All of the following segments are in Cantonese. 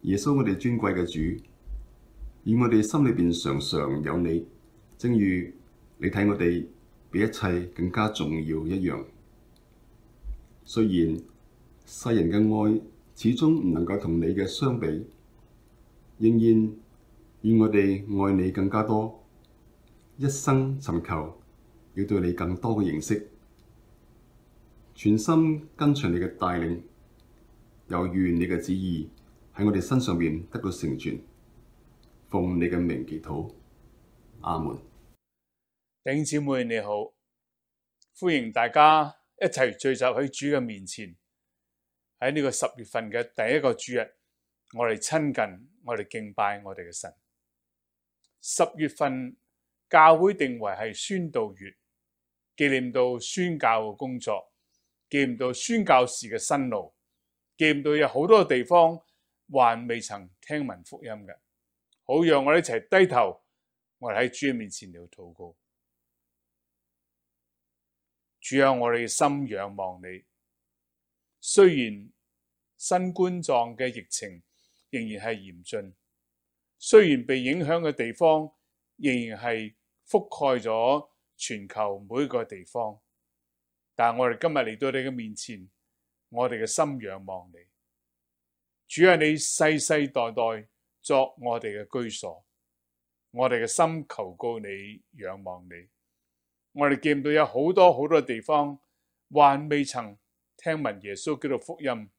耶穌，我哋尊貴嘅主，以我哋心裏邊常常有你，正如你睇我哋比一切更加重要一樣。雖然世人嘅愛始終唔能夠同你嘅相比，仍然願我哋愛你更加多，一生尋求要對你更多嘅認識，全心跟隨你嘅帶領，又願你嘅旨意喺我哋身上面得到成全。奉你嘅名祈禱，阿門。弟兄姊妹你好，歡迎大家一齊聚集喺主嘅面前。喺呢個10月份嘅第一個主日，我哋親近，我哋敬拜我哋嘅神。10月份教會定為係宣道月，紀念到宣教嘅工作，紀念到宣教士嘅辛勞，紀念到有好多地方還未曾聽聞福音嘅，好讓我哋一齊低頭，我哋喺主嘅面前嚟禱告。主啊，我哋嘅心仰望你。雖然新冠狀嘅疫情仍然係嚴峻，雖然被影響嘅地方仍然係覆蓋咗全球每個地方，但係我哋今日嚟到你嘅面前，我哋嘅心仰望你。主啊，你世世代代作我哋嘅居所，我哋嘅心求告你，仰望你。我哋見到有好多地方還未曾聽聞耶穌基督福音，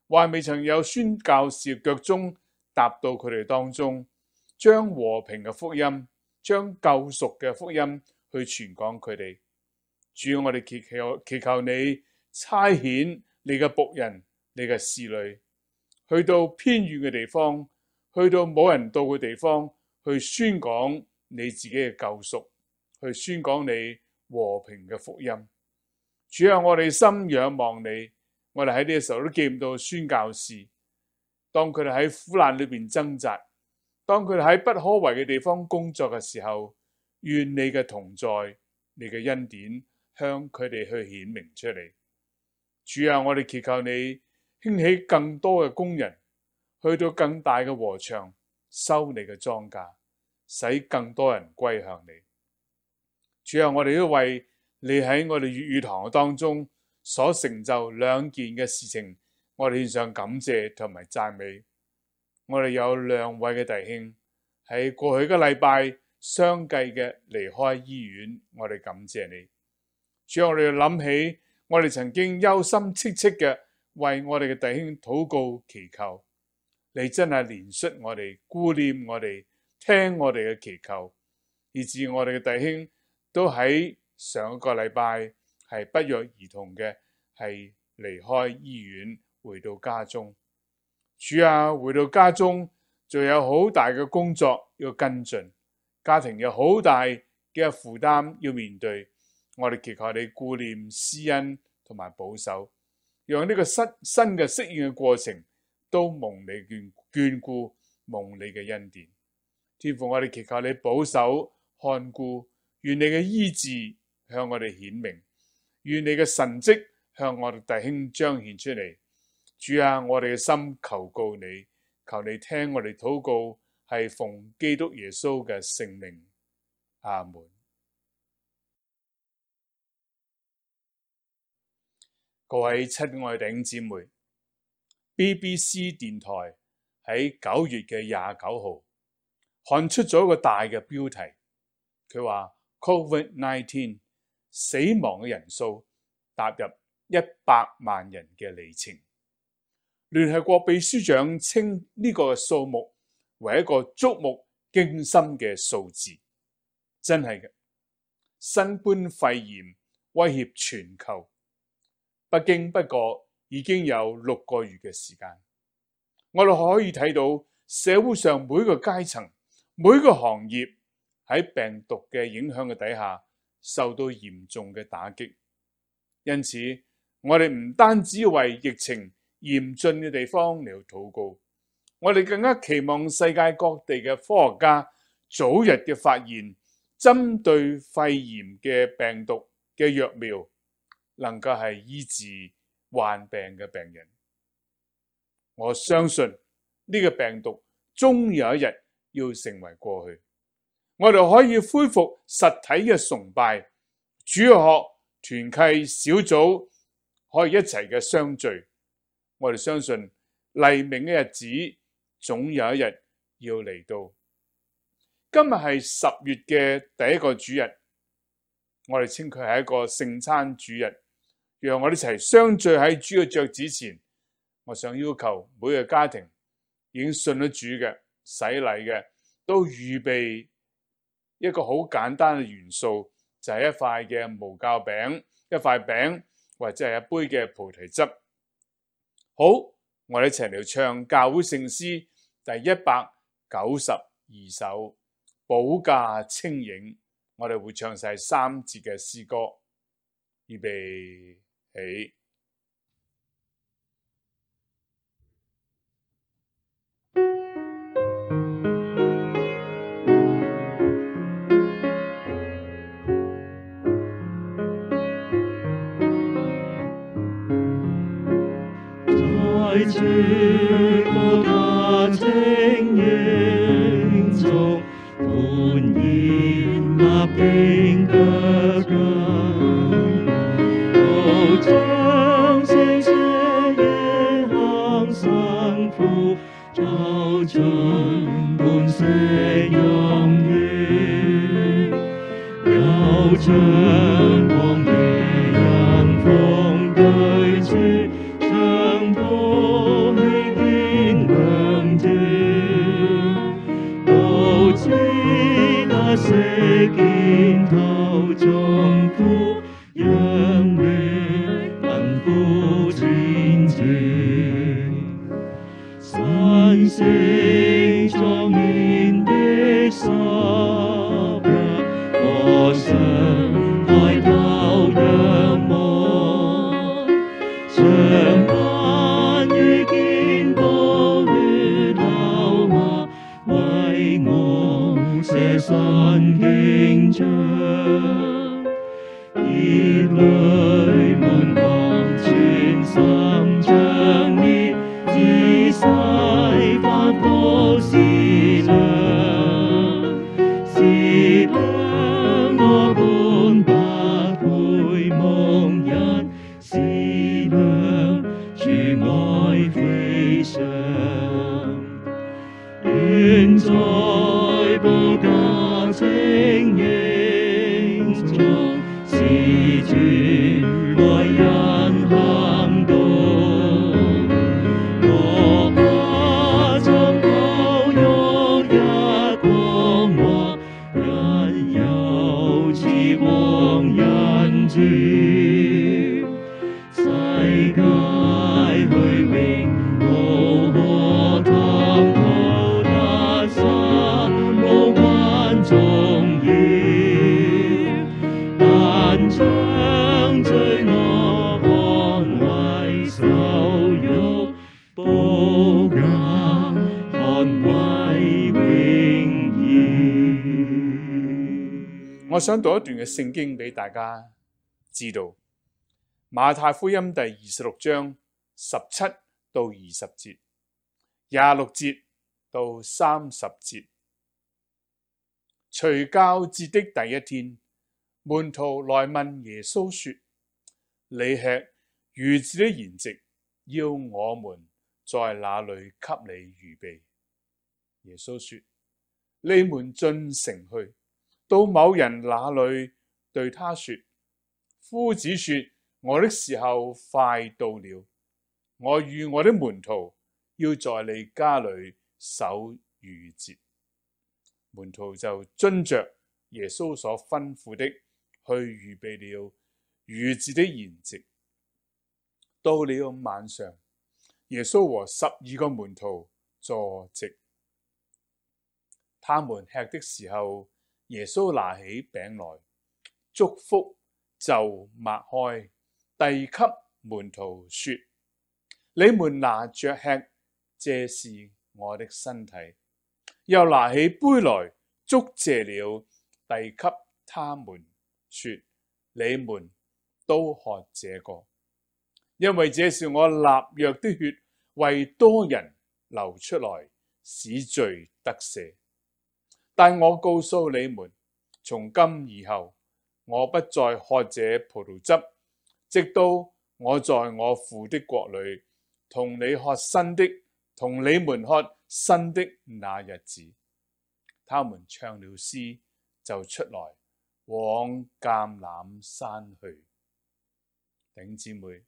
還未曾有宣教士腳蹤踏到佢哋當中，將和平嘅福音，將救贖嘅福音去傳講佢哋。主，我哋祈求你差遣你嘅僕人，你嘅使女，去到偏遠嘅地方，去到冇人到嘅地方，去宣講你自己嘅救贖，去宣講你和平嘅福音。主啊，我哋心仰望你，我哋喺呢個時候都見到宣教士，當佢哋喺苦難裏邊掙扎，當佢哋喺不可為嘅地方工作嘅時候，願你嘅同在，你嘅恩典向佢哋去顯明出嚟。主啊，我哋祈求你興起更多嘅工人，去到更大嘅禾場收你嘅莊稼，使更多人歸向你。主啊，我哋都為你喺我哋粵語堂當中所成就2件嘅事情，我哋獻上感謝同埋讚美。我哋有2位嘅弟兄喺過去嘅禮拜相繼嘅離開醫院，我哋感謝你。主啊，我哋諗起我哋曾經憂心戚戚嘅為我哋嘅弟兄禱告祈求，你真係憐恤我哋，顧念我哋，聽我哋嘅祈求，以致我哋嘅弟兄都喺上一個禮拜係不約而同嘅係離開醫院回到家中。主啊，回到家中仲有好大嘅工作要跟進，家庭有好大嘅負擔要面對。我哋祈求你顧念施恩同埋保守，讓呢個新嘅適應嘅過程都蒙你眷顧，蒙你嘅恩典。天父，我哋祈求你保守看顧，願你嘅醫治向我哋顯明，願你嘅神蹟向我哋弟兄彰顯出嚟。主啊，我哋嘅心求告你，求你聽我哋禱告，係奉基督耶穌嘅聖名。阿門。各位親愛弟兄姊妹， BBC 電台喺9月嘅29號刊出咗一個大嘅標題，佢話 COVID-19 死亡嘅人數踏入100萬人嘅里程。聯合國秘書長稱呢個數目為一個觸目驚心嘅數字，真係嘅。新冠肺炎威脅全球，不經不覺已經有6個月嘅時間。我哋可以睇到社會上每個階層、每個行業喺病毒嘅影響嘅底下受到嚴重嘅打擊。因此，我哋唔單止為疫情嚴峻嘅地方嚟禱告，我哋更加期望世界各地嘅科學家早日嘅發現針對肺炎嘅病毒嘅藥苗，能夠係醫治患病嘅病人。我相信呢個病毒終有一日要成為過去。我哋可以恢復實體嘅崇拜、主學、團契、小組，可以一齊嘅相聚。我哋相信黎明嘅日子總有一日要嚟到。今日係10月嘅第一個主日，我哋稱佢係一個聖餐主日，讓我哋一齊相聚喺主嘅腳趾前。我想要求每個家庭已經信咗主嘅、洗禮嘅，都預備一個好簡單嘅元素，就係一塊嘅無酵餅、一塊餅或者係一杯嘅菩提汁。好，我哋一齊嚟唱教會聖詩第192首保駕清影。我哋會唱晒3節嘅詩歌，預備起。在主保駕清影中，歡然立定腳跟，都將聖者夜行辛苦，走進半息陰雨，有將光夜人風對峙。長途起見亮照，都知那息肩頭中苦，讓你貧苦前程，神聖莊嚴的十日，我想抬頭仰望，長眼遇見寶血流下，為我捨身經章，熱淚滿腔，全心將烈，自洗反覆思量，思量我本不配蒙恩，思量主愛非常，願在保駕清影中，是主愛人行動。我怕終抱有一光華，因有此光人主，世界虛榮無可探討，但心無關重要，但將罪惡看為羞辱，保駕看為榮耀。我想讀一段嘅聖經俾大家知道，馬太福音第26章17到20節，26節到30節。除酵節的第一天，門徒來問耶穌說：你吃逾子的筵席，要我們在哪裏給你預備？耶穌說：你們進城去，到某人那裏，對他說：夫子說，我的時候快到了，我與我的門徒要在你家裏守逾節。門徒就遵着耶穌所吩咐的，去預備了逾節的筵席。到了晚上，耶穌和12個門徒坐席，他們吃的時候，耶穌拿起餅來，祝福就擘開，遞給門徒說：你們拿着吃，這是我的身體。又拿起杯來，祝謝了，遞給他們說：你們都喝這個，因為這是我立約的血，為多人流出來，使罪得赦。但我告訴你們，從今以後，我不再喝這葡萄汁，直到我在我父的國裏同你們喝新的那日子。他們唱了詩，就出來往橄欖山去。弟兄姊妹，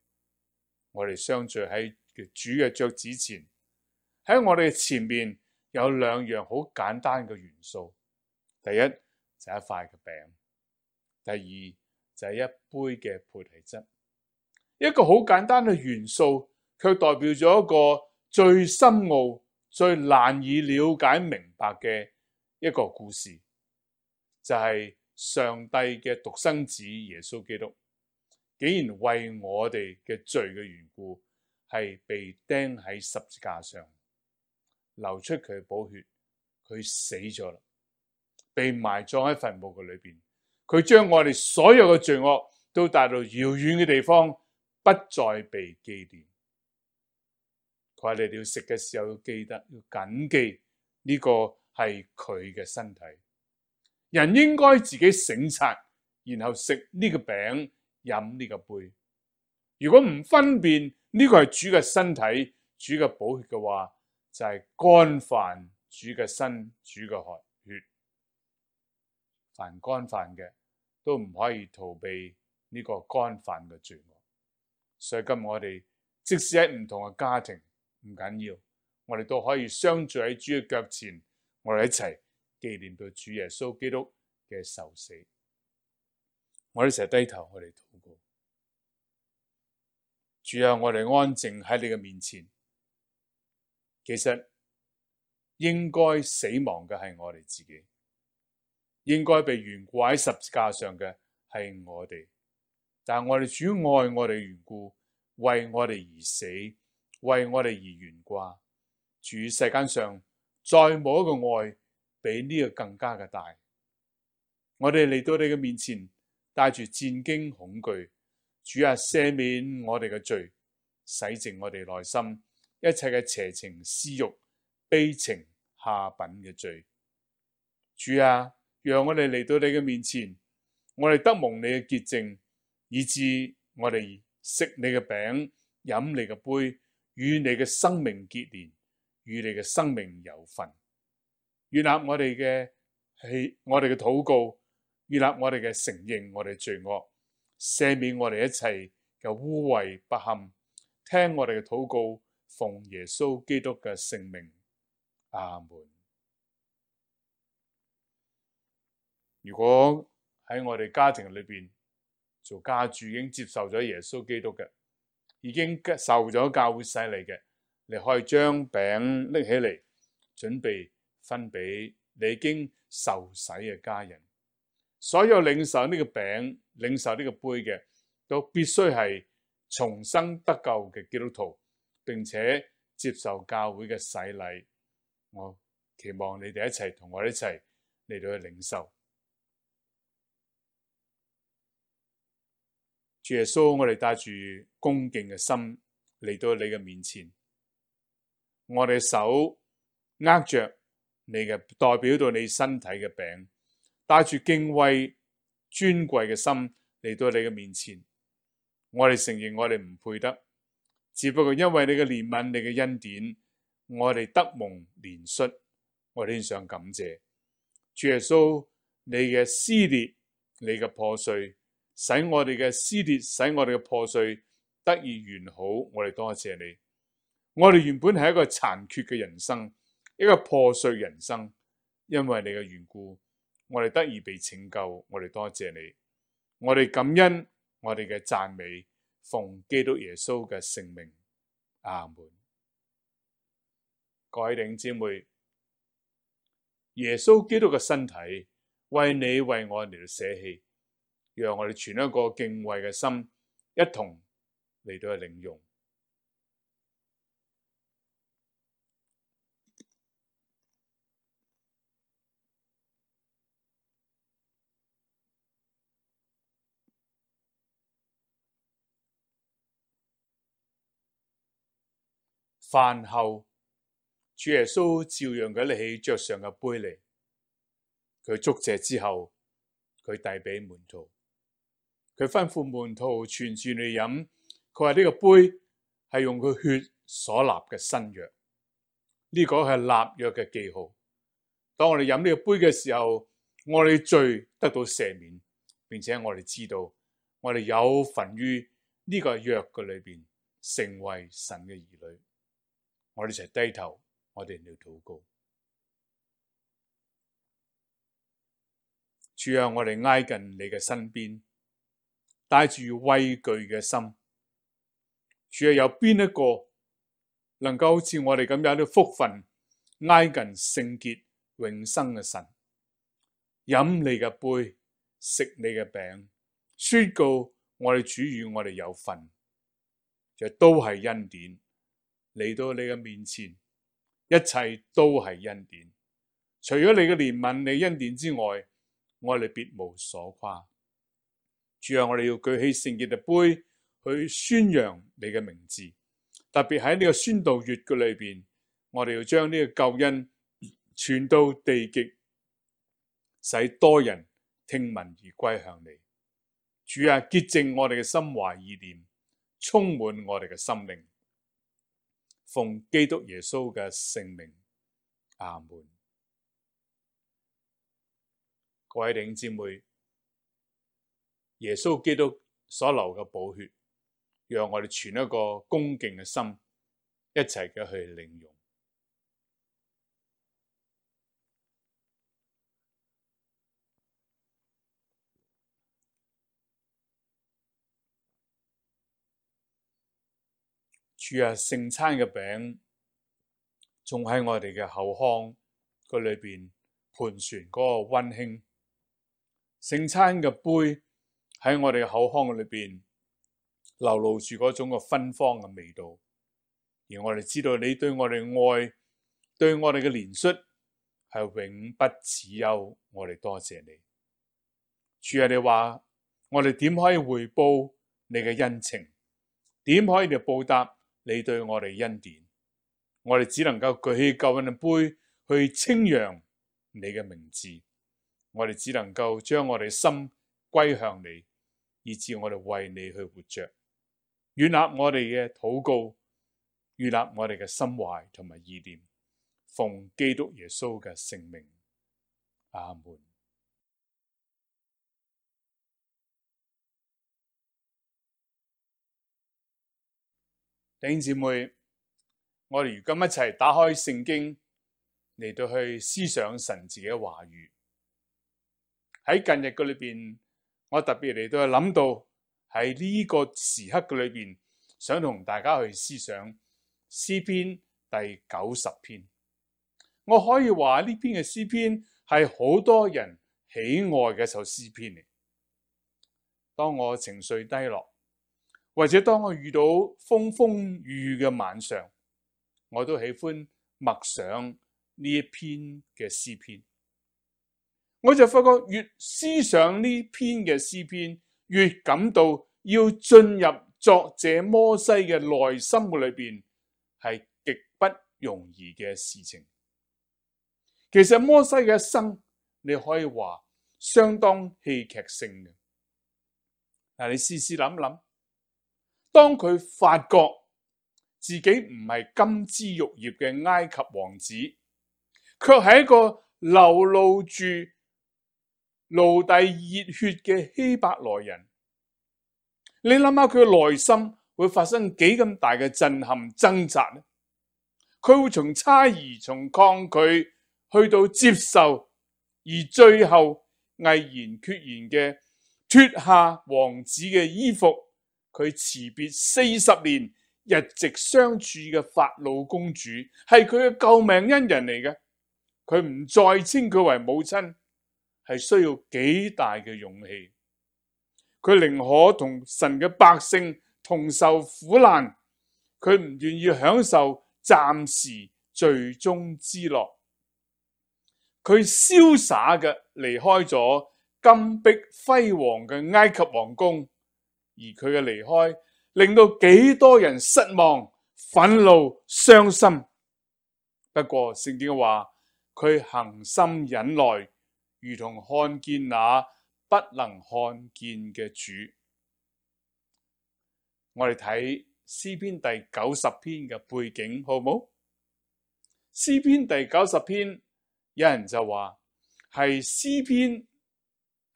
我哋相聚喺主嘅腳趾前，喺我哋前面有兩樣好簡單嘅元素。第一就係一塊嘅餅，第二就係一杯嘅菩提汁。一個好簡單嘅元素，卻代表咗一個最深奧、最難以了解明白嘅一個故事，就係上帝嘅獨生子耶穌基督，竟然為我哋嘅罪嘅緣故，係被釘喺十字架上，流出佢嘅寶血，佢死咗啦，被埋葬喺墳墓嘅裏邊。佢將我哋所有嘅罪惡都帶到遙遠嘅地方，不再被紀念。佢話你哋要食嘅時候要記得，要謹記呢個係佢嘅身體。人應該自己省察，然後食呢個餅，飲呢個杯。如果唔分辨呢個係主嘅身體、主嘅寶血嘅話，就係干犯主嘅身、主嘅血。凡干犯嘅都唔可以逃避呢個干犯嘅罪惡。所以今日我哋即使喺唔同嘅家庭，唔緊要，我哋都可以相聚喺主嘅腳前，我哋一齊紀念到主耶穌基督嘅受死。我哋一齊低頭，我哋禱告。主啊，我哋安靜喺你嘅面前。其實應該死亡嘅係我哋自己，應該被懸掛喺十字架上嘅係我哋。但係我哋主愛我哋緣故，為我哋而死，為我哋而懸掛。主，世間上再冇一個愛比呢個更加嘅大。我哋嚟到你嘅面前，帶住戰驚恐懼。主啊，赦免我哋嘅罪，洗淨我哋內心一切嘅邪情私欲、悲情下品嘅罪。主啊，讓我哋嚟到你嘅面前，我哋得蒙你嘅潔淨，以致我哋食你嘅餅，飲你嘅杯，與你嘅生命結連，與你嘅生命有份。悅納我哋嘅禱告，悅納我哋嘅承認，我哋罪惡，赦免我哋一切嘅污穢不堪，聽我哋嘅禱告，奉耶穌基督嘅聖名，阿門。如果喺我哋家庭裏邊做家主已經接受咗耶穌基督嘅，已經受咗教會洗禮嘅，你可以將餅拎起嚟，準備分俾你已經受洗嘅家人。所有領受呢個餅、領受呢個杯嘅，都必須係重生得救嘅基督徒，並且接受教會嘅洗禮。我期望你哋一齊同我一齊嚟到去領受。主耶穌，我哋帶住恭敬嘅心嚟到你嘅面前，我哋手握着你嘅代表到你身體嘅餅，帶住敬畏尊貴嘅心嚟到你嘅面前。我哋承認我哋唔配得，只不過因為你嘅憐憫、你嘅恩典，我哋得蒙憐恤，我哋獻上感謝。主耶穌，你嘅撕裂、你嘅破碎，使我哋嘅撕裂，使我哋嘅破碎得以完好。我哋多謝你。我哋原本係一個殘缺嘅人生，一個破碎人生，因為你嘅緣故，我哋得以被拯救。我哋多謝你。我哋感恩，我哋嘅讚美，奉基督耶穌嘅聖名，阿門。各位弟兄姊妹，耶穌基督嘅身體為你為我嚟到捨棄，讓我哋存一個敬畏嘅心，一同嚟到去領用。飯後，主耶穌照樣嘅拎起桌上嘅杯嚟，佢祝謝之後，佢遞俾門徒，佢吩咐門徒傳住嚟飲。佢話呢個杯係用佢血所立嘅新約，呢個係立約嘅記號。當我哋飲呢個杯嘅時候，我哋罪得到赦免，並且我哋知道我哋有份於呢個約嘅裏邊，成為神嘅兒女。我哋一齊低頭，我哋嚟禱告。主啊，我哋挨近你嘅身邊，帶住畏懼嘅心。主啊，有邊一個能夠好似我哋咁有啲福分，挨近聖潔永生嘅神，飲你嘅杯，食你嘅餅，宣告我哋主與我哋有份，就都係恩典。嚟到你嘅面前，一切都係恩典。除咗你嘅憐憫、你恩典之外，我哋別無所誇。主啊，我哋要舉起聖潔嘅杯去宣揚你嘅名字，特別喺呢個宣道月嘅裏邊，我哋要將呢個救恩傳到地極，使多人聽聞而歸向你。主啊，潔淨我哋嘅心懷意念，充滿我哋嘅心靈。奉基督耶穌嘅聖名，阿門。各位弟兄姊妹，耶穌基督所流嘅寶血，讓我哋存一個恭敬嘅心，一齊嘅去領用。主啊，聖餐嘅餅仲喺我哋嘅口腔個裏邊盤旋嗰個溫馨，聖餐嘅杯喺我哋嘅口腔裏邊流露住嗰種嘅芬芳嘅味道，而我哋知道你對我哋愛，對我哋嘅憐恤係永不止休，我哋多謝你。主啊，你話我哋點可以回報你嘅恩情？點可以嚟報答你對我哋恩典？我哋只能夠舉起救恩嘅杯去稱揚你嘅名字。我哋只能夠將我哋心歸向你，以致我哋為你去活着。悅納我哋嘅禱告，悅納我哋嘅心懷同埋意念，奉基督耶穌嘅聖名，阿門。弟兄姊妹，我哋如今一齊打開聖經嚟到去思想神自己嘅話語。喺近日嘅裏邊，我特別嚟到去諗到喺呢個時刻嘅裏邊，想同大家去思想詩篇第90篇。我可以話呢篇嘅詩篇係好多人喜愛嘅一首詩篇嚟。當我情緒低落，或者當我遇到風風雨雨嘅晚上，我都喜歡默想呢一篇嘅詩篇。我就發覺越思想呢篇嘅詩篇，越感到要進入作者摩西嘅內心嘅裏邊，係極不容易嘅事情。其實摩西嘅一生，你可以話相當戲劇性嘅。嗱，你試試諗諗，當佢發覺自己唔係金枝玉葉嘅埃及王子，卻係一個流露住奴隸熱血嘅希伯來人，你諗下佢嘅內心會發生幾咁大嘅震撼掙扎呢？佢會從猜疑、從抗拒去到接受，而最後毅然決然嘅脫下王子嘅衣服，佢辭別40年日夕相處嘅法老公主，係佢嘅救命恩人嚟嘅。佢唔再稱佢為母親，係需要幾大嘅勇氣。佢寧可同神嘅百姓同受苦難，佢唔願意享受暫時罪中之樂。佢瀟灑嘅離開咗金碧輝煌嘅埃及皇宮，而佢嘅離開令到幾多人失望、憤怒、傷心。不過聖經話佢恒心忍耐，如同看見那不能看見嘅主。我哋睇詩篇第90篇嘅背景好唔好？詩篇第90篇，有人就話係詩篇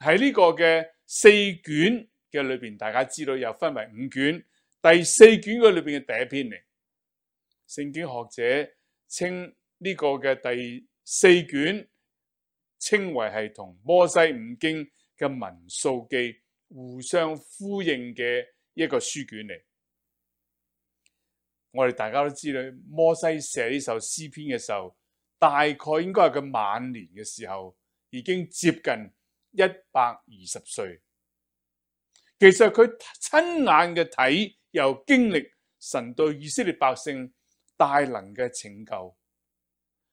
喺呢個嘅4卷嘅裏邊，大家知道又分為5卷，第4卷嘅裏邊嘅第一篇嚟。聖經學者稱呢個嘅第4卷稱為係同摩西五經嘅民數記互相呼應嘅一個書卷嚟。我哋大家都知道，摩西寫呢首詩篇嘅時候，大概應該係佢晚年嘅時候，已經接近120歲。其實佢親眼嘅睇又經歷神對以色列百姓大能嘅拯救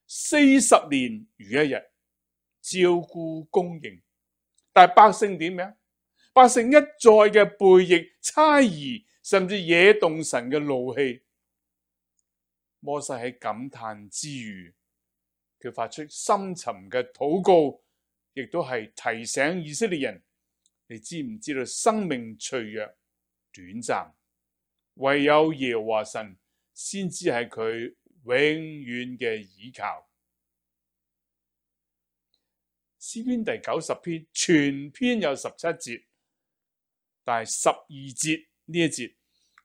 ，40年如一日照顧供應，但係百姓點樣？百姓一再嘅背逆猜疑，甚至惹動神嘅怒氣。摩西喺感嘆之餘，佢發出深沉嘅禱告，亦都係提醒以色列人：你知唔知道生命脆弱短暫，唯有耶和華神先至係佢永遠嘅倚靠。詩篇第90篇全篇有17節，但係12節呢一節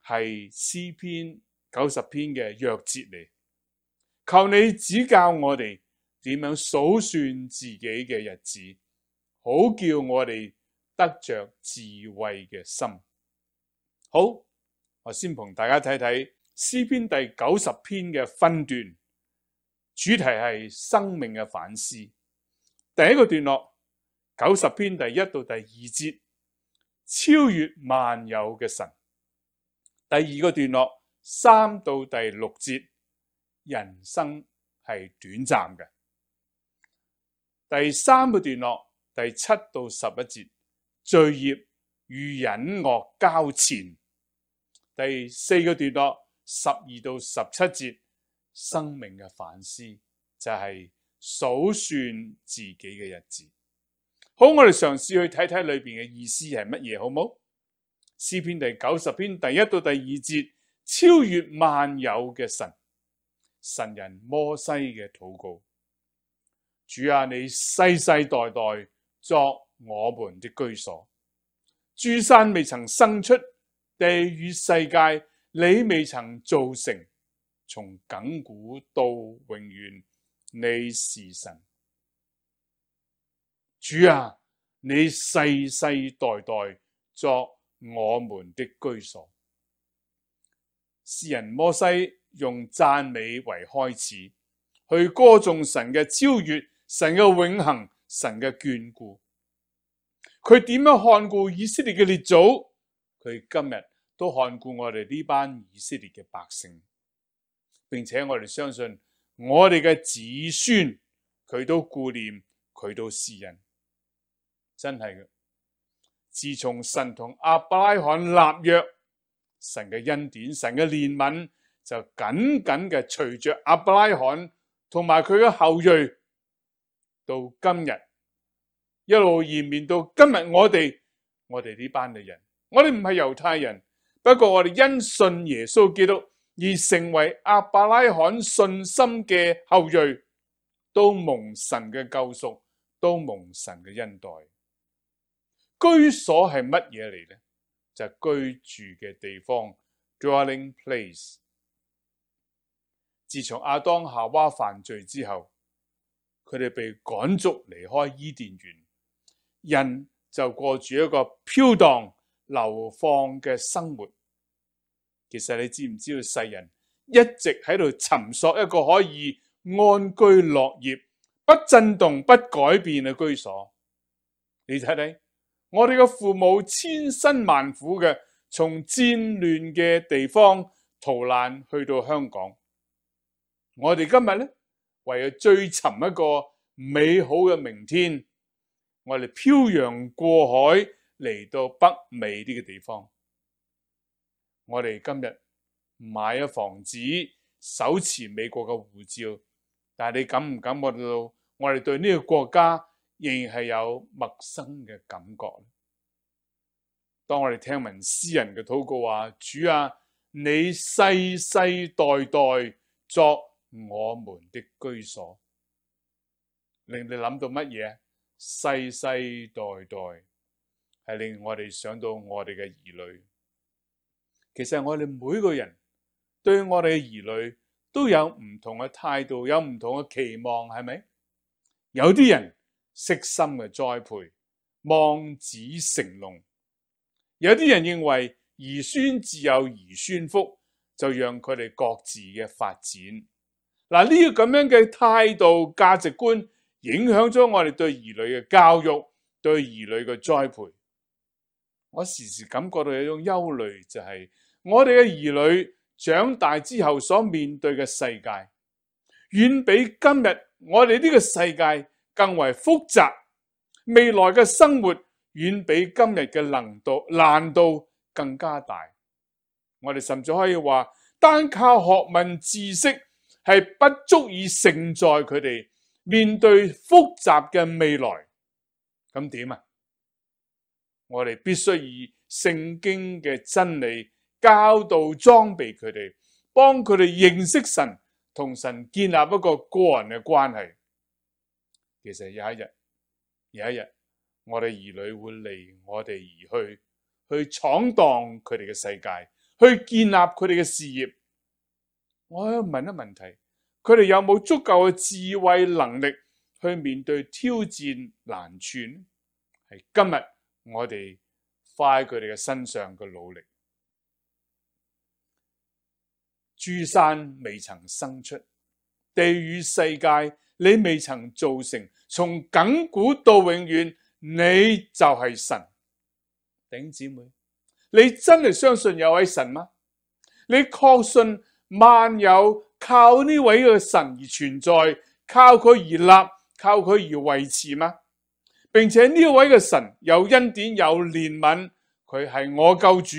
係詩篇90篇嘅鑰節嚟。求你指教我哋點樣數算自己嘅日子，好叫我哋得着智慧嘅心。好，我先同大家睇睇詩篇第90篇嘅分段，主題係生命嘅反思。第一個段落90篇第1到第2節，超越萬有嘅神。第二個段落3到第6節，人生係短暫嘅。第三個段落第7到11節，罪孽與隱惡交纏。第四個段落12到17節，生命嘅反思就係數算自己嘅日子。好，我哋嘗試去睇睇裏邊嘅意思係乜嘢，好冇？詩篇第90篇第1到第2節，超越萬有嘅神，神人摩西嘅禱告：主啊，你世世代代作我們的居所，諸山未曾生出，地與世界你未曾造成，從亙古到永遠，你是神。主啊，你世世代代作我們的居所。詩人摩西用讚美為開始，去歌頌神嘅超越，神嘅永恆，神嘅眷顧。佢點樣看顧以色列嘅列祖？佢今日都看顧我哋呢班以色列嘅百姓，並且我哋相信我哋嘅子孫，佢都顧念，佢都施恩。真係嘅，自從神同亞伯拉罕立約，神嘅恩典，神嘅憐憫就緊緊嘅隨着亞伯拉罕同埋佢嘅後裔到今日，一路延綿到今日。我哋呢班嘅人，我哋唔係猶太人，不過我哋因信耶穌基督而成為亞伯拉罕信心嘅後裔，都蒙神嘅救贖，都蒙神嘅恩待。居所係乜嘢嚟呢？就係居住嘅地方 ，dwelling place。自從亞當夏娃犯罪之後，佢哋被趕逐離開伊甸園，人就過住一個飄蕩流放嘅生活。其實你知唔知道，世人一直喺度尋索一個可以安居樂業、不震動、不改變嘅居所？你睇睇。我哋嘅父母千辛萬苦嘅從戰亂嘅地方逃難去到香港，我哋今日呢，為咗追尋一個美好嘅明天，我哋漂洋過海嚟到北美呢個地方。我哋今日買咗房子，手持美國嘅護照，但係你感唔感覺到我哋對呢個國家仍然係有陌生嘅感覺？當我哋聽聞詩人嘅禱告話：主啊，你世世代代作我們的居所，令你諗到乜嘢？世世代代係令我哋想到我哋嘅兒女。其實我哋每個人對我哋嘅兒女都有唔同嘅態度，有唔同嘅期望，係咪？有啲人悉心嘅栽培，望子成龍；有啲人認為兒孫自有兒孫福，就讓佢哋各自嘅發展。嗱，呢個咁樣嘅態度價值觀，影響咗我哋對兒女嘅教育，對兒女嘅栽培。我時時感覺到有一種憂慮，就係我哋嘅兒女長大之後所面對嘅世界，遠比今日我哋呢個世界更為複雜。未來嘅生活遠比今日嘅難度更加大。我哋甚至可以話，單靠學問知識係不足以承載佢哋面對複雜嘅未來。咁點啊？我哋必須以聖經嘅真理教導裝備佢哋，幫佢哋認識神，同神建立一個個人嘅關係。其實有一日，我哋兒女會離我哋而去闖蕩佢哋嘅世界，去建立佢哋嘅事業。我喺度問一問題，佢哋有冇足夠嘅智慧能力去面對挑戰難處？係今日我哋花喺佢哋嘅身上嘅努力。諸山未曾生出，地與世界你未曾造成，從亙古到永遠，你就係神。弟兄姊妹，你真係相信有位神嗎？你確信萬有靠呢位嘅神而存在，靠佢而立，靠佢而維持嗎？並且呢位嘅神有恩典有憐憫，佢係我救主，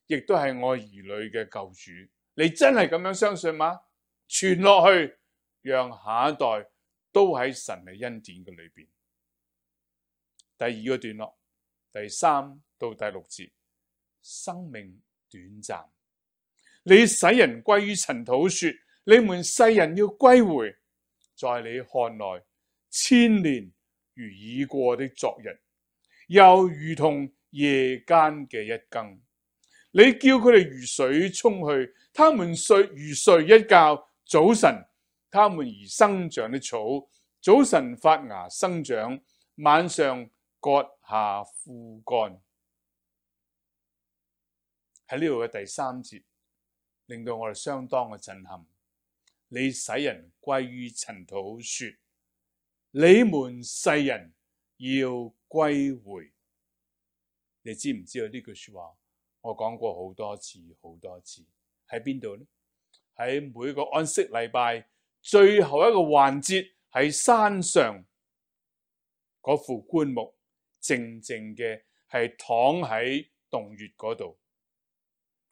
亦都係我兒女嘅救主。你真係咁樣相信嗎？傳落去，讓下一代都喺神嘅恩典嘅裏邊。第二個段落，第3到第6節，生命短暫，你使人歸於塵土，說你們世人要歸回，在你看來千年如已過的昨日，又如同夜間嘅一更。你叫佢哋如水沖去，他們如睡一覺。早晨，他們如生長的草，早晨發芽生長，晚上割下枯乾。喺呢度嘅第3節，令到我哋相當嘅震撼。你使人歸於塵土，說你們世人要歸回。你知唔知道呢句說話？我講過好多次，喺邊度呢？喺每個安息禮拜最後一個環節，喺山上嗰副棺木靜靜嘅係躺喺洞穴嗰度，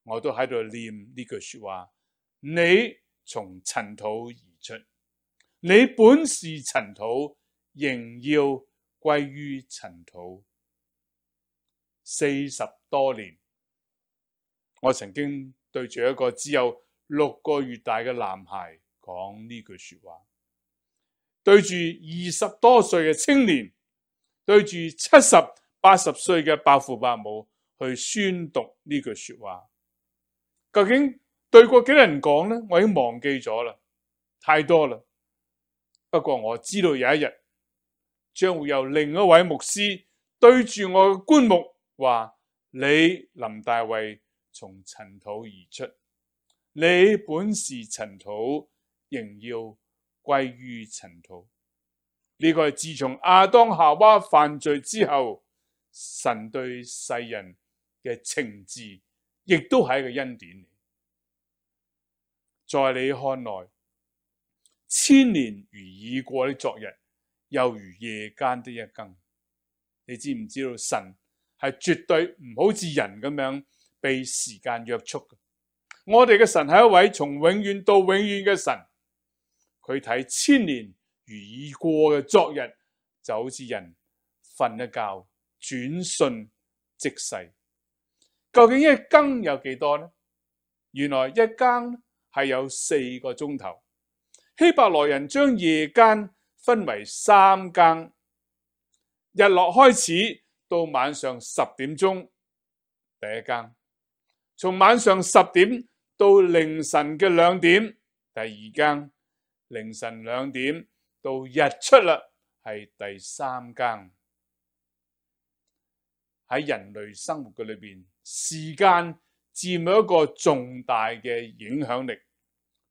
我都喺度念呢句說話：你從塵土而出，你本是塵土，仍要歸於塵土。40多年。我曾經對住一個只有6個月大嘅男孩講呢句說話，對住20多歲嘅青年，對住70、80歲嘅伯父伯母去宣讀呢句說話。究竟對過幾多人講呢？我已經忘記咗啦，太多啦。不過我知道有一日將會有另一位牧師對住我嘅棺木話：你林大衛從塵土而出，你本是塵土，仍要歸於塵土。呢個係自從亞當夏娃犯罪之後，神對世人嘅懲治，亦都係一個恩典。在你看來，千年如已過的昨日，又如夜間的一更。你知唔知道神係絕對唔好似人咁樣被時間約束嘅？我哋嘅神係一位從永遠到永遠嘅神，佢睇千年如已過嘅昨日，就好似人瞓一覺，轉瞬即逝。究竟一更有幾多呢？原來一更係有4個鐘頭。希伯來人將夜間分為3更，日落開始到晚上10點鐘，第一更；從晚上10點到凌晨嘅2點，第二更；凌晨2點到日出啦，係第3更。喺人類生活嘅裏邊，時間佔有一個重大嘅影響力。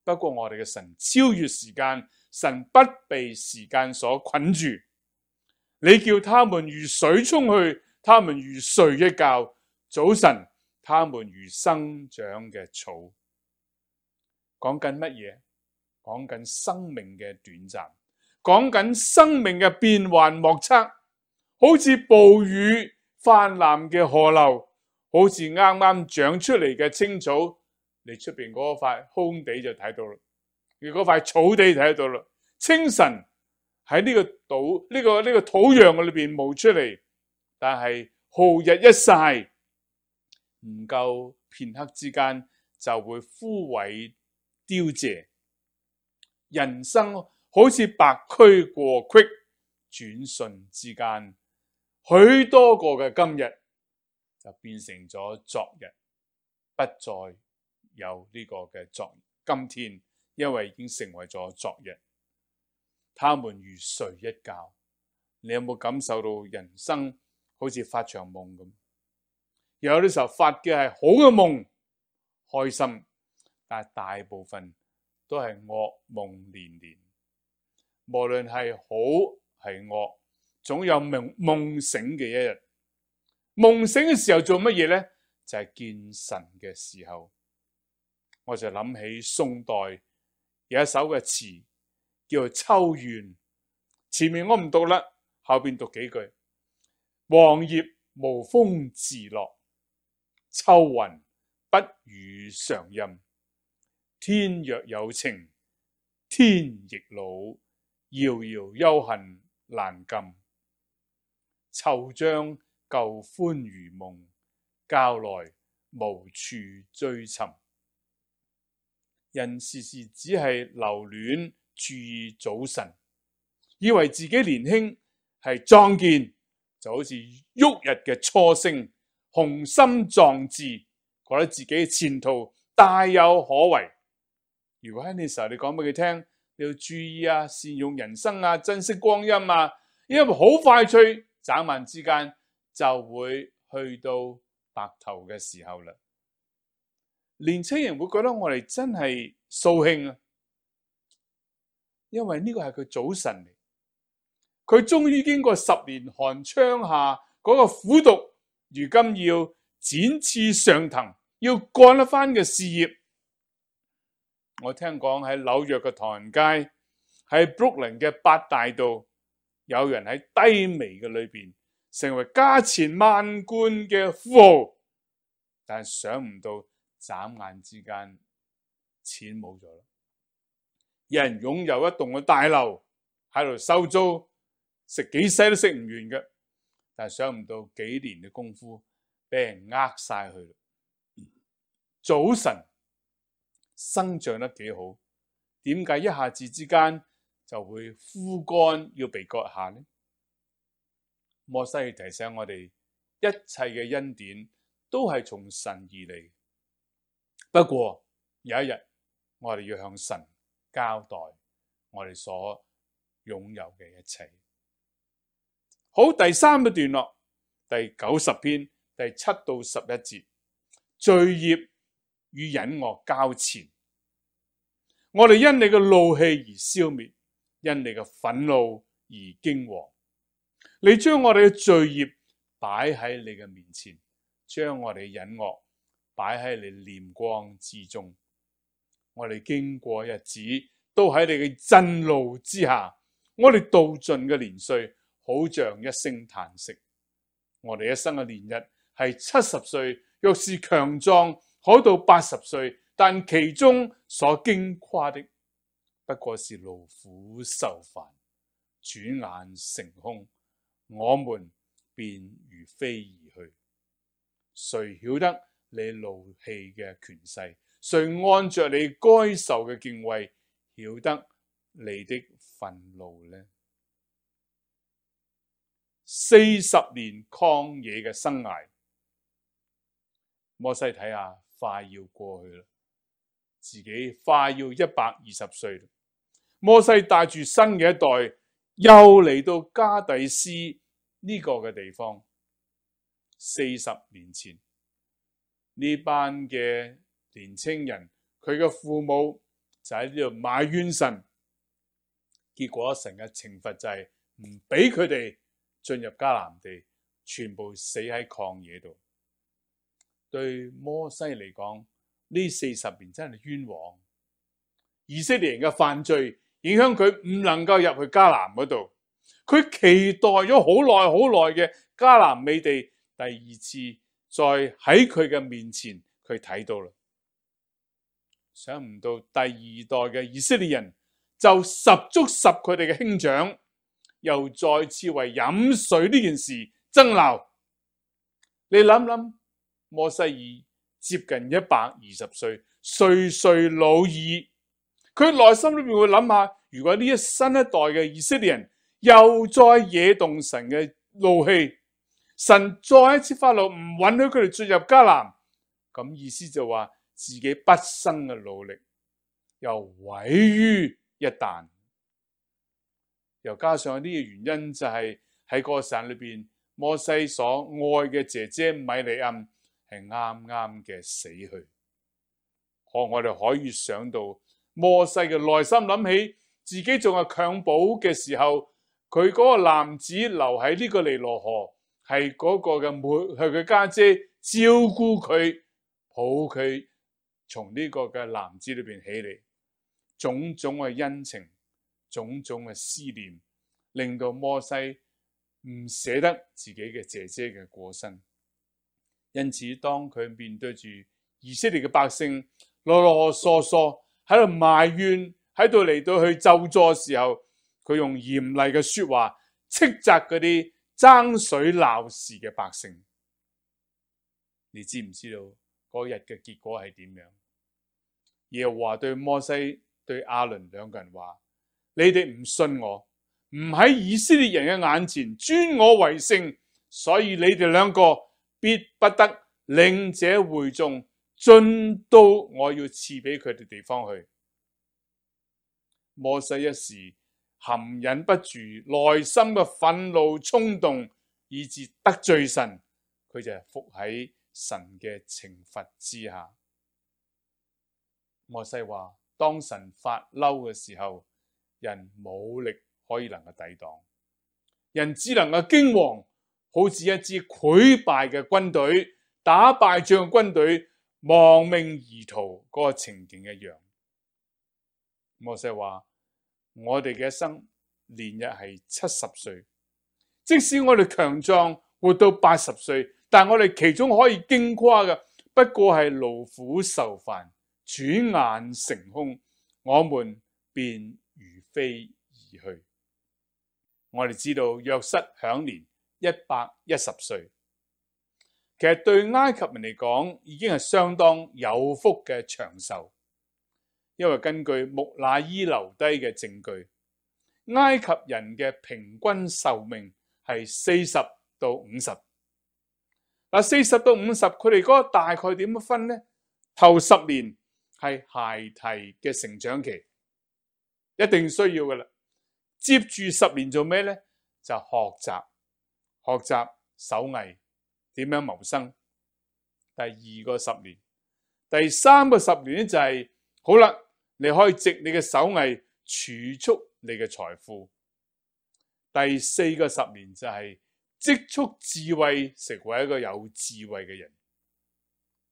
不過我哋嘅神超越時間，神不被時間所捆住。你叫他們如水沖去，他們如睡一覺；早晨，他們如生長嘅草。講緊乜嘢？講緊生命嘅短暫，講緊生命嘅變幻莫測，好似暴雨泛濫嘅河流，好似啱啱長出嚟嘅青草。你出邊嗰塊空地就睇到啦，你嗰塊草地睇到啦。清晨喺呢個土壤嘅裏邊冒出嚟，但係皓日一曬，唔夠片刻之間就會枯萎凋謝。人生好似白駒過隙，轉瞬之間，許多個嘅今日就變成咗昨日，不再有呢個嘅今天，因為已經成為咗昨日。他們如睡一覺，你有冇感受到人生好似發場夢咁？有啲時候發嘅係好嘅夢，開心，但係大部分都係噩夢連連。無論係好係惡，總有夢醒嘅一日。夢醒嘅時候做乜嘢呢？就係見神嘅時候。我就諗起宋代有一首嘅詞叫做《秋怨》，前面我唔讀啦，後邊讀幾句。黃葉無風自落，秋雲不與常任。天若有情天亦老，遙遙幽恨難禁。惆悵舊歡如夢，教來無處追尋。人時時只係留戀注意早晨，以為自己年輕係壯健，就好似旭日嘅初升，雄心壯志，覺得自己嘅前途大有可為。如果喺呢時候你講俾佢聽，你要注意啊，善用人生啊，珍惜光陰啊，因為好快脆，眨眼之間就會去到白頭嘅時候啦。年青人會覺得我哋真係掃興啊，因為呢個係佢早晨嚟，佢終於經過10年寒窗下嗰個苦讀，如今要展翅上騰，要幹一番嘅事業。我聽講喺紐約嘅唐人街，喺 Brooklyn 嘅8大道，有人喺低微嘅裏邊成為家錢萬貫嘅富豪，但係想唔到眨眼之間錢冇咗啦。有人擁有一棟嘅大樓喺度收租，食幾世都食唔完嘅，但係想唔到幾年嘅功夫俾人呃晒去。早晨生長得幾好，點解一下子之間就會枯乾要被割下呢？摩西提醒我哋，一切嘅恩典都係從神而嚟。不過有一日，我哋要向神交代我哋所擁有嘅一切。好，第3個段落，第90篇第7到11節，罪孽與隱惡交纏。我哋因你嘅怒氣而消滅，因你嘅憤怒而驚惶。你將我哋嘅罪孽擺喺你嘅面前，將我哋嘅隱惡擺喺你臉光之中。我哋經過日子都喺你嘅震怒之下，我哋度盡嘅年歲好像一聲嘆息。我哋一生嘅年日係70歲，若是強壯可到80歲，但其中所矜誇的不過是勞苦受煩，轉眼成空，我們便如飛而去。誰曉得你怒氣嘅權勢？誰按着你該受嘅敬畏，曉得你的憤怒呢？40年曠野嘅生涯，摩西睇下快要過去啦，自己快要120歲啦。摩西帶住新嘅一代，又嚟到加底斯呢個嘅地方。40年前，呢班嘅年青人，佢嘅父母就喺呢度埋怨神，結果神嘅懲罰就係唔俾佢哋進入迦南地，全部死喺曠野度。對摩西嚟講，呢40年真係冤枉。以色列人嘅犯罪影響佢唔能夠入去迦南嗰度，佢期待咗好耐嘅迦南美地，第二次再喺佢嘅面前佢睇到啦。想唔到第二代嘅以色列人就十足十佢哋嘅兄長，又再次為飲水呢件事爭鬧。你諗諗，摩西已接近120歲，歲歲老矣，佢內心裏面會諗下，如果呢新一代嘅以色列人又再惹動神嘅怒氣，神再一次發怒，唔允許佢哋進入迦南，咁意思就話自己畢生嘅努力又毀於一旦。又加上呢個原因就係喺個時間裏邊，摩西所愛嘅姐姐米利暗係啱啱嘅死去。我哋可以想到摩西嘅內心諗起自己仲係襁褓嘅時候，佢嗰個男子留喺呢個尼羅河，係嗰個嘅係佢家姐照顧佢，抱佢從呢個嘅男子裏邊起嚟，種種嘅恩情，種種嘅思念，令到摩西唔捨得自己嘅姐姐嘅過身。因此當佢面對住以色列嘅百姓囉囉嗦嗦喺度埋怨，喺度嚟到去咒詛嘅時候，佢用嚴厲嘅說話斥責嗰啲爭水鬧事嘅百姓。你知唔知道嗰日嘅結果係點樣？耶和華對摩西對亞倫兩個人話：你哋唔信我，唔喺以色列人嘅眼前尊我為聖，所以你哋兩個必不得領這會眾進到我要賜俾佢哋地方去。摩西一時含忍不住，內心嘅憤怒衝動，以致得罪神，佢就伏喺神嘅懲罰之下。摩西話：當神發嬲嘅時候，人冇力可以能夠抵擋，人只能夠驚惶，好似一支潰敗嘅軍隊，打敗仗嘅軍隊亡命而逃嗰個情景一樣。摩西話：我哋嘅一生年日係70歲，即使我哋強壯活到80歲，但我哋其中可以矜誇嘅，不過係勞苦受煩，轉眼成空，我們便如飛而去。我哋知道約瑟享年110歲，其實對埃及人嚟講已經係相當有福嘅長壽，因為根據木乃伊留低嘅證據，埃及人嘅平均壽命係40到50。40到50，佢哋嗰個大概點樣分呢？頭10年係孩提嘅成長期，一定需要噶啦。接住10年做咩呢？就學習手藝，點樣謀生。第2個10年，第3個10年咧就係好啦，你可以藉你嘅手藝儲蓄你嘅財富。第4個10年就係積蓄智慧，成為一個有智慧嘅人。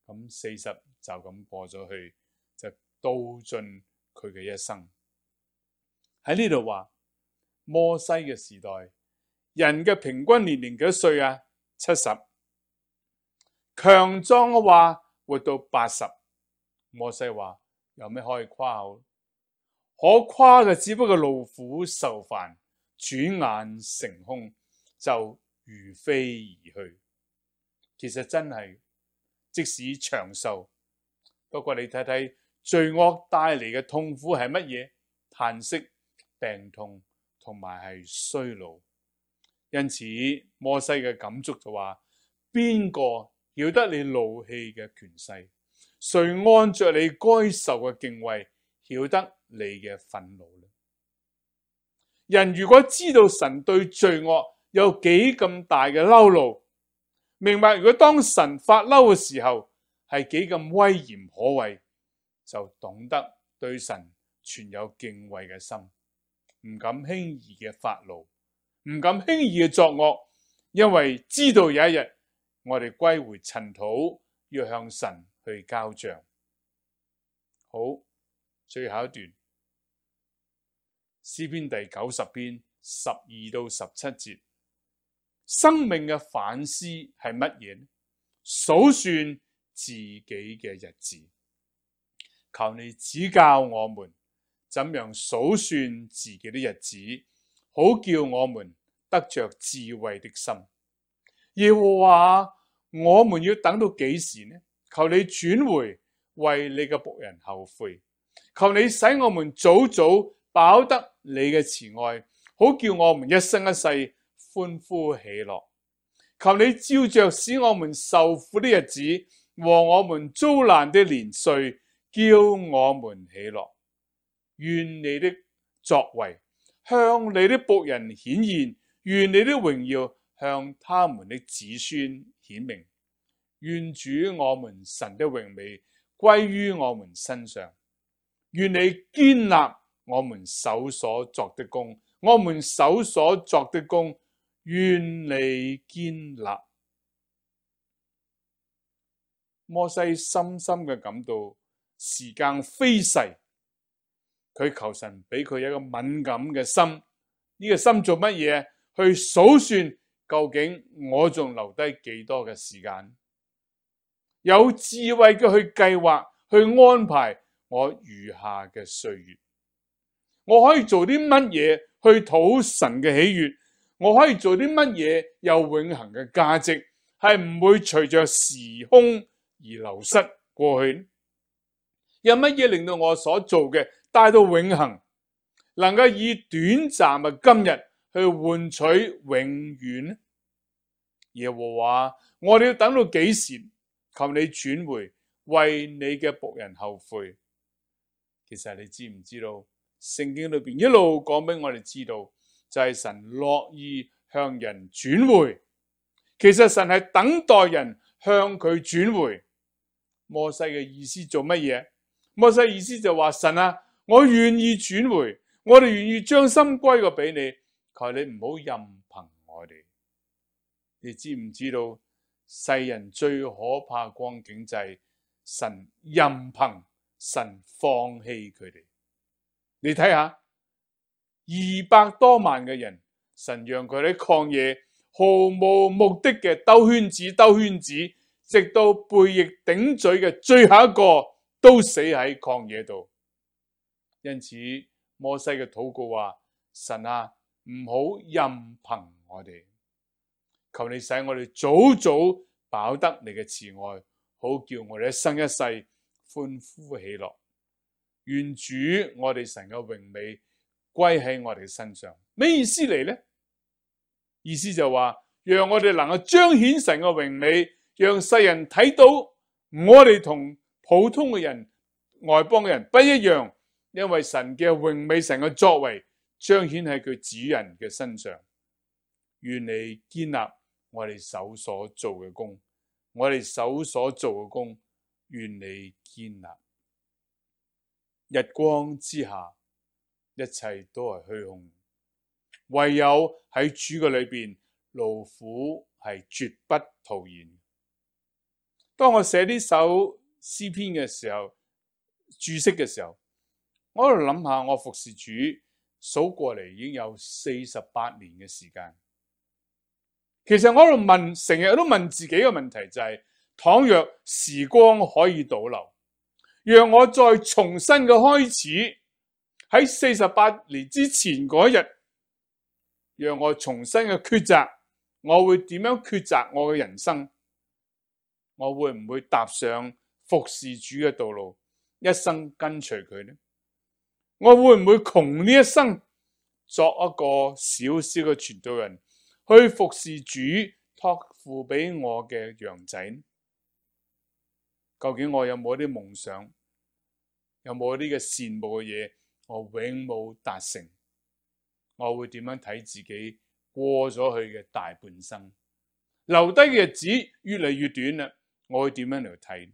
咁40就咁過咗去，就到盡佢嘅一生。喺呢度話摩西嘅時代，人嘅平均年齡幾多歲啊？70。強壯嘅話活到80。摩西話有咩可以誇口？可誇嘅只不過勞苦受煩，轉眼成空，就如飛而去。其實真係，即使長壽，不過你睇睇罪惡帶嚟嘅痛苦係乜嘢？嘆息、病痛同埋係衰老。因此摩西嘅感觸就話：邊個曉得你怒氣嘅權勢？誰按着你該受嘅敬畏，曉得你嘅憤怒呢？人如果知道神對罪惡有幾咁大嘅嬲怒，明白如果當神發嬲嘅時候係幾咁威嚴可畏，就懂得對神存有敬畏嘅心，唔敢輕易嘅發怒，唔敢輕易嘅作惡，因為知道有一日我哋歸回塵土，要向神去交賬。好，最後一段詩篇第90篇12到17節，生命嘅反思係乜嘢呢？數算自己嘅日子，求你指教我們怎樣數算自己的日子，好叫我們得着智慧的心。耶和華，我們要等到幾時呢？求你轉回，為你嘅僕人後悔。求你使我們早早飽得你嘅慈愛，好叫我們一生一世歡呼喜樂。求你照着使我們受苦的日子和我們遭難的年歲，叫我們喜樂。願你的作為向你的僕人顯現，願你的榮耀向他們的子孫顯明。願主我們神的榮美歸於我們身上。願你堅立我們手所作的工，我們手所作的工，願你堅立。摩西深深嘅感到時間飛逝，佢求神俾佢一個敏感嘅心，呢個心做乜嘢？去數算究竟我仲留低幾多嘅時間，有智慧嘅去計劃，去安排我餘下嘅歲月。我可以做啲乜嘢去討神嘅喜悅？我可以做啲乜嘢有永恆嘅價值，係唔會隨着時空而流失過去？有乜嘢令到我所做嘅帶到永恆，能夠以短暫嘅今日去換取永遠呢？耶和華，我哋要等到幾時？求你轉回，為你嘅僕人後悔。其實你知唔知道？聖經裏邊一路講俾我哋知道，就係神樂意向人轉回。其實神係等待人向佢轉回。摩西嘅意思做乜嘢？摩西意思就話：神啊，我願意轉回，我哋願意將心歸過俾你，求你唔好任憑我哋。你知唔知道世人最可怕光景就係神任憑，神放棄佢哋。你睇下，200多萬嘅人，神讓佢喺曠野毫無目的嘅兜圈子，直到背逆頂嘴嘅最後一個都死喺曠野度。因此摩西嘅禱告話：神啊，唔好任憑我哋，求你使我哋早早飽得你嘅慈愛，好叫我哋一生一世歡呼喜樂。願主我哋神嘅榮美歸喺我哋身上。咩意思嚟呢？意思就話，讓我哋能夠彰顯神嘅榮美，讓世人睇到我哋同普通嘅人、外邦嘅人不一樣，因為神嘅榮美、神嘅作為彰顯喺佢子人嘅身上。願你堅立我哋手所做嘅工，我哋手所做嘅工，願你堅立。日光之下，一切都係虛空，唯有喺主嘅裏邊，勞苦係絕不徒然。當我寫呢首詩篇嘅時候，注釋嘅時候，我喺度諗下，我服侍主數過嚟已經有48年嘅時間。其實我喺度問，成日都問自己嘅問題就係：倘若時光可以倒流，讓我再重新嘅開始，喺48年之前嗰日，讓我重新嘅抉擇，我會點樣抉擇我嘅人生？我會唔會踏上服侍主嘅道路，一生跟隨佢呢？我會唔會窮呢一生作一個小小嘅傳道人，去服侍主託付俾我嘅羊仔呢？究竟我有冇啲夢想，有冇啲嘅羨慕嘅嘢，我永冇達成？我會點樣睇自己過咗去嘅大半生，留低嘅日子越嚟越短啦？我會點樣嚟睇？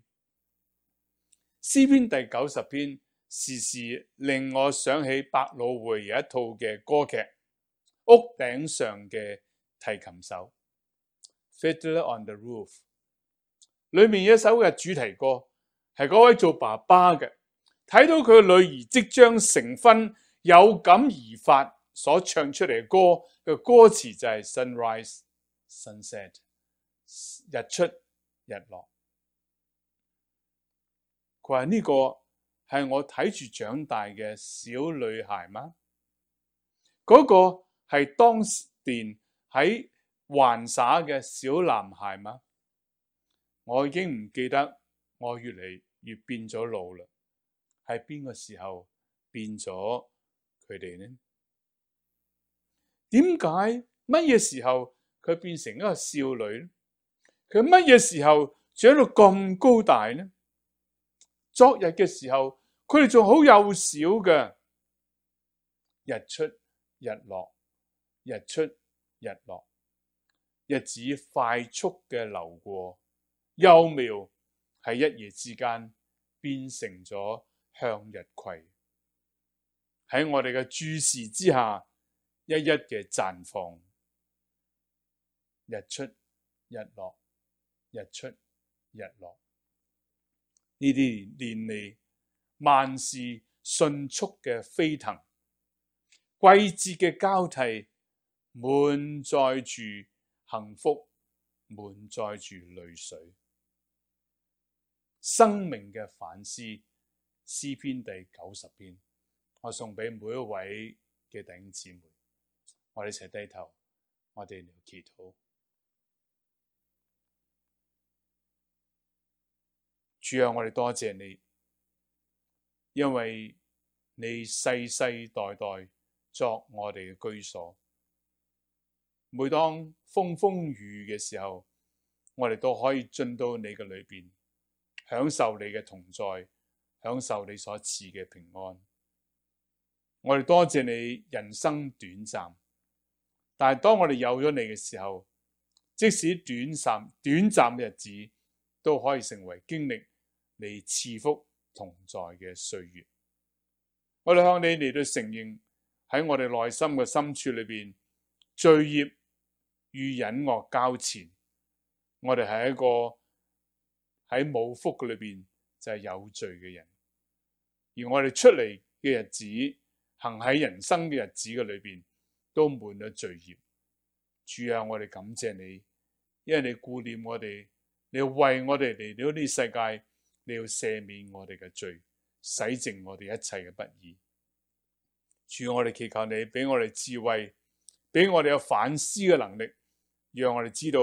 詩篇第90篇時時令我想起百老匯有一套嘅歌劇《屋頂上嘅提琴手》（Fiddler on the Roof）。裏面有一首嘅主題歌，係嗰位做爸爸嘅睇到佢女兒即將成婚，有感而發所唱出嚟嘅歌嘅歌詞就係 Sunrise Sunset， 日出日落。佢話呢個係我睇住長大嘅小女孩嗎？嗰個係當年喺環耍嘅小男孩嗎？我已經唔記得，我越嚟越變咗老啦。係邊個時候變咗佢哋呢？點解乜嘢時候佢變成一個少女呢？佢乜嘢時候長到咁高大呢？昨日嘅時候，佢哋仲好幼小嘅，日出日落，日出日落，日子快速嘅流過，幼苗喺一夜之間變成咗向日葵，喺我哋嘅注視之下，一一嘅綻放，日出日落，日出日落。呢啲年嚟，萬事迅速嘅飛騰，季節嘅交替，滿載住幸福，滿載住淚水。生命嘅反思，詩篇第90篇，我送俾每一位嘅弟兄姊妹，我哋一齊低頭，我哋嚟祈禱。主啊，我哋多謝你，因為你世世代代作我哋嘅居所。每當風風雨雨嘅時候，我哋都可以進到你嘅裏邊，享受你嘅同在，享受你所賜嘅平安。我哋多謝你，人生短暫，但係當我哋有咗你嘅時候，即使短暫嘅日子，都可以成為經歷你賜福同在嘅歲月。我哋向你嚟到承認，喺我哋內心嘅深處裏邊，罪孽與隱惡交纏，我哋係一個喺冇福嘅裏邊就係有罪嘅人。而我哋出嚟嘅日子，行喺人生嘅日子嘅裏邊，都滿咗罪孽。主啊，我哋感謝你，因為你顧念我哋，你要為我哋嚟到呢世界，你要赦免我哋嘅罪，洗淨我哋一切嘅不義。主，我哋祈求你俾我哋智慧，俾我哋有反思嘅能力，讓我哋知道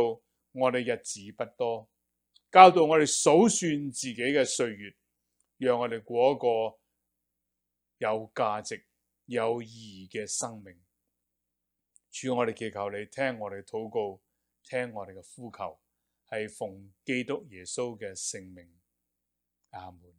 我哋日子不多，教導我哋數算自己嘅歲月，讓我哋過一個有價值、有意義嘅生命。主，我哋祈求你聽我哋禱告，聽我哋嘅呼求，係奉基督耶穌嘅聖名。阿門。